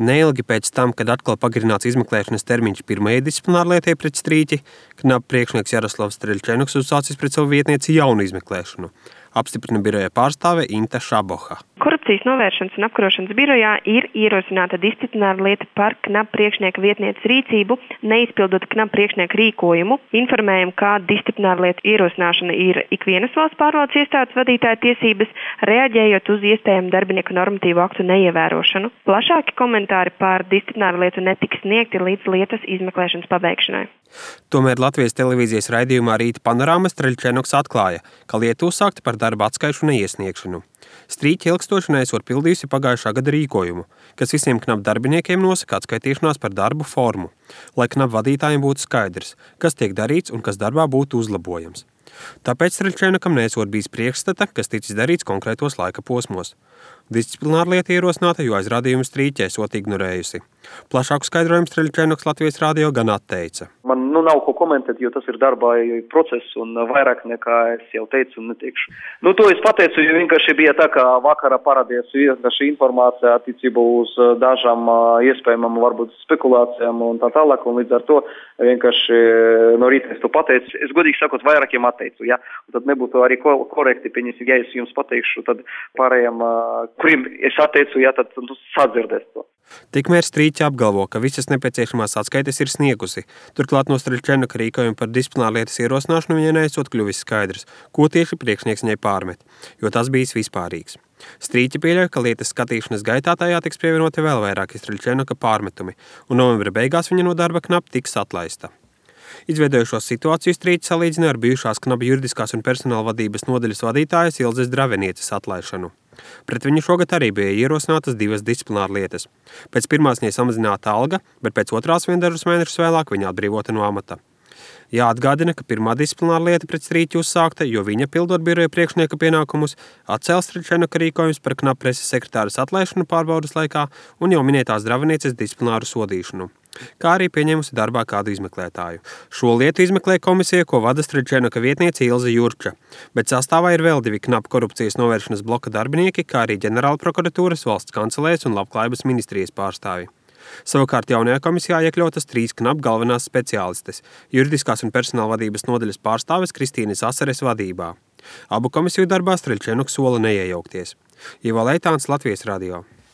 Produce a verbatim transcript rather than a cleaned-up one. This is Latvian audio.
Neilgi pēc tam, kad atkal pagarināts izmeklēšanas termiņš pirmajai disciplinārlietai pret Strīķi, knap priekšnieks Jaroslavs Streļčenuks uzsācis pret savu vietnieci jaunu izmeklēšanu, apstiprina biroja pārstāve Inta Šaboha. Korupcijas novēršanas un apkarošanas birojā ir ierosināta disciplināra lieta par knap priekšnieka vietnieces rīcību, neizpildot knap priekšnieka rīkojumu. Informējam, ka disciplināra lieta ierosināšana ir ikvienas valsts pārvaldes iestādes vadītāja tiesības, reaģējot uz iespējamu darbinieku normatīvu aktu neievērošanu. Plašāki komentāri par disciplināru lietu netiks sniegti līdz lietas izmeklēšanas pabeigšanai. Tomēr Latvijas televīzijas raidījumā Rīta panorāma Streļčenuks atklāja, ka lieta uzsākta par darba atskaišu neiesniegšanu. Strīķi ilgstoši neesot pildījusi pagājušā gada rīkojumu, kas visiem knap darbiniekiem nosaka atskaitīšanās par darbu formu, lai knap vadītājiem būtu skaidrs, kas tiek darīts un kas darbā būtu uzlabojams. Tāpēc Streļčenukam neesot bijis priekšstata, kas ticis darīts konkrētos laika posmos. Disciplināra lieta ierosināta, jo aizrādījumu Strīķi esot ignorējusi. Plašāku skaidrojumu Streļčenuks Latvijas radio gan atteica. Man nu, nav ko komentēt, jo tas ir darbā process un vairāk nekā es jau teicu un neteikšu. Nu, to es pateicu, jo vienkārši bija tā, ka vakarā parādījās vienkārši informācija attiecībā uz dažām iespējamām varbūt spekulācijām un tā tālāk, un līdz ar to vienkārši no rīta es to pateicu. Es godīgi sakot, vairākiem atteicu, ja? Un tad nebūtu arī korekti, pieņemsim, ja es jums pateikšu, tad pārējiem, kuriem es atteicu, ja, tad nu, sadzirdēs to. Tikmēr Strīķi apgalvo, ka visas nepieciešamās atskaites ir sniegusi. Turklāt no Streļčenuka rīkojumu par disciplinārlietas ierosināšanu viņai neesot kļuvis skaidrs, ko tieši priekšnieks viņai pārmet, jo tas bijis vispārīgs. Strīķi pieļauj, ka lietas skatīšanas gaitā tajā tiks pievienoti vēl vairāki Streļčenuka pārmetumi, un novembra beigās viņa no darba knap tiks atlaista. Izveidojušos situāciju Strīķi salīdzina ar bijušās knap juridiskās un personāla vadības nodaļas vadītājas Ilzes Dravenieces atlaišanu. Pret viņu šogad arī bija ierosinātas divas disciplināra lietas. Pēc pirmās viņai samazināta alga, bet pēc otrās vien dažus mēnešus vēlāk viņa atbrīvota no amata. Jāatgādina, ka pirmā disciplināra lieta pret Strīķi uzsākta, jo viņa, pildot biroja priekšnieka pienākumus, atcēla Streļčenuka rīkojumus par knap preses sekretāras atlaišanu pārbaudas laikā un jau minētās Dravenieces disciplināru sodīšanu, kā arī pieņēmusi darbā kādu izmeklētāju. Šo lietu izmeklē komisija, ko vada Streļčenuka vietniece Ilze Jurča, bet sastāvā ir vēl divi knap korupcijas novēršanas bloka darbinieki, kā arī ģenerāla prokuratūras, valsts kancelējas un labklājības ministrijas pārstāvi. Savukārt jaunajā komisijā iekļautas trīs knap galvenās speciālistes – juridiskās un personāla vadības nodaļas pārstāves Kristīnes Asares vadībā. Abu komisiju darbā Streļčenuks sola neiejaukties. Ivo Leitāns, Latvijas radio.